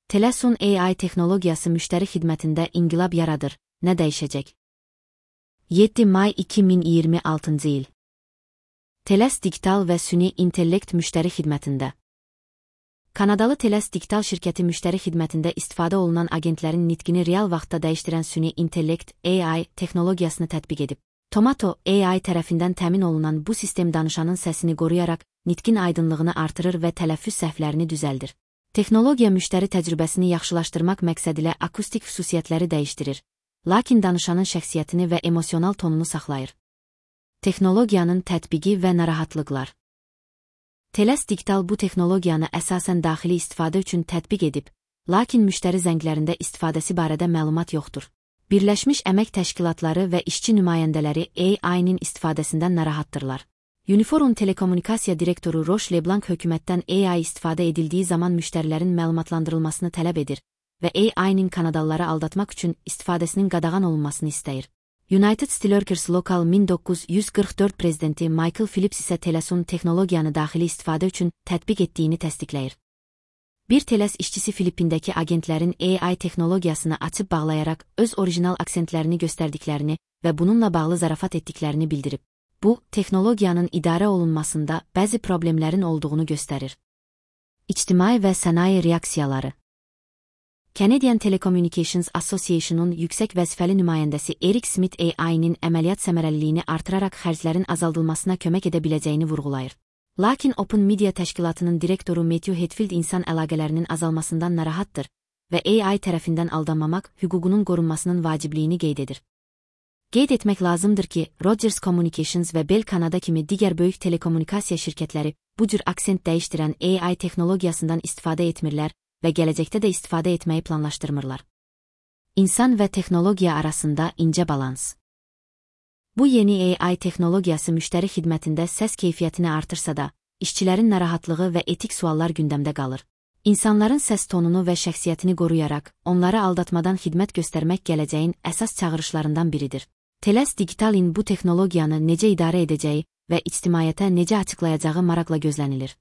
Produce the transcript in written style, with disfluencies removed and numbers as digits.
Telesun AI texnologiyası müştəri xidmətində inqilab yaradır. Nə dəyişəcək? 7 may 2026 il. Teles Digital və süni intellekt müştəri xidmətində. Kanadalı Teles Digital şirkəti müştəri xidmətində istifadə olunan agentlərin nitqini real vaxtda dəyişdirən süni intellekt AI texnologiyasını tətbiq edib. Tomato AI tərəfindən təmin olunan bu sistem danışanın səsini qoruyaraq nitqin aydınlığını artırır və tələffüz səhvlərini düzəldir. Texnologiya müştəri təcrübəsini yaxşılaşdırmaq məqsədilə akustik xüsusiyyətləri dəyişdirir, lakin danışanın şəxsiyyətini və emosional tonunu saxlayır. Texnologiyanın tətbiqi və narahatlıqlar. Teles Digital bu texnologiyanı əsasən daxili istifadə üçün tətbiq edib, lakin müştəri zənglərində istifadəsi barədə məlumat yoxdur. Birləşmiş Əmək Təşkilatları və işçi nümayəndələri AI-nin istifadəsindən narahatdırlar. Uniforum Telekommunikasiya direktoru Roche Leblanc hökumətdən AI istifadə edildiyi zaman müştərilərin məlumatlandırılmasını tələb edir və AI-nin Kanadalıları aldatmaq üçün istifadəsinin qadağan olunmasını istəyir. United Steelworkers Local 1944 prezidenti Michael Phillips isə Telesun texnologiyanı daxili istifadə üçün tətbiq etdiyini təsdiqləyir. Bir Teles işçisi Filippindəki agentlərin AI texnologiyasını açıb bağlayaraq öz orijinal aksentlərini göstərdiklərini və bununla bağlı zarafat etdiklərini bildirib. Bu, texnologiyanın idarə olunmasında bəzi problemlərin olduğunu göstərir. İctimai və sənaye reaksiyaları. Canadian Telecommunications Association-un yüksək vəzifəli nümayəndəsi Eric Smith AI-nin əməliyyat səmərəliliyini artıraraq xərclərin azaldılmasına kömək edə biləcəyini vurğulayır. Lakin Open Media təşkilatının direktoru Matthew Hetfield insan əlaqələrinin azalmasından narahatdır və AI tərəfindən aldanmamaq hüququnun qorunmasının vacibliyini qeyd edir. Qeyd etmək lazımdır ki, Rogers Communications və Bell Canada kimi digər böyük telekommunikasiya şirkətləri bu cür aksent dəyişdirən AI texnologiyasından istifadə etmirlər və gələcəkdə də istifadə etməyi planlaşdırmırlar. İnsan və texnologiya arasında incə balans. Bu yeni AI texnologiyası müştəri xidmətində səs keyfiyyətini artırsa da, işçilərin narahatlığı və etik suallar gündəmdə qalır. İnsanların səs tonunu və şəxsiyyətini qoruyaraq, onları aldatmadan xidmət göstərmək gələcəyin əsas çağırışlarından biridir. Teles Digital'in bu texnologiyanı necə idarə edəcəyi və ictimaiyyətə necə açıqlayacağı maraqla gözlənilir.